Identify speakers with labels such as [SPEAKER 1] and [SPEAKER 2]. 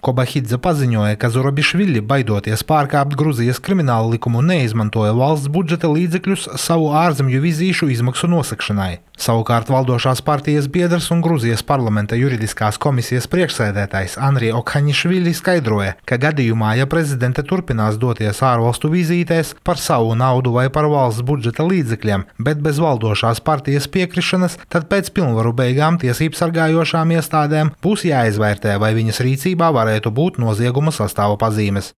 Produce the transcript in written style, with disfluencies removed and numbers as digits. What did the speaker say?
[SPEAKER 1] Kobahidze paziņoja, ka Zurabišvili, baidoties pārkāpt Gruzijas kriminālu likumu, neizmantoja valsts budžeta līdzekļus savu ārzemju vizīšu izmaksu nosakšanai. Savukārt valdošās partijas biedrs un Gruzijas parlamenta juridiskās komisijas priekšsēdētājs Andrij Okhaņišvili skaidroja, ka gadījumā, ja prezidente turpinās doties ārvalstu vizītēs par savu naudu vai par valsts budžeta līdzekļiem, bet bez valdošās partijas piekrišanas, tad pēc pilnvaru beigām tiesību sargājošām iestādēm būs jāizvērtē, vai viņas rīcībā varētu būt nozieguma sastāva pazīmes.